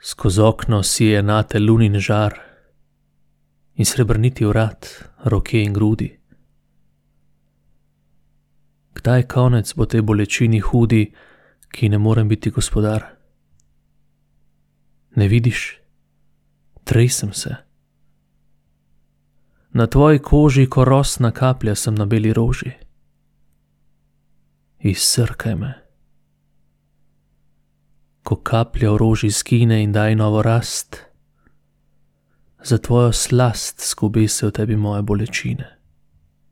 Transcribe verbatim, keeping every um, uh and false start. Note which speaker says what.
Speaker 1: Skoz okno sije nate lunin žar in srebrniti vrat, roke in grudi. Kdaj konec bo tej bolečini hudi, ki ne morem biti gospodar? Ne vidiš? Tresem se. Na tvoji koži ko rosna kaplja sem na beli roži. Izsrkaj me. Ko kaplja v roži skine in daj novo rast, za tvojo slast skube se v tebi moje bolečine.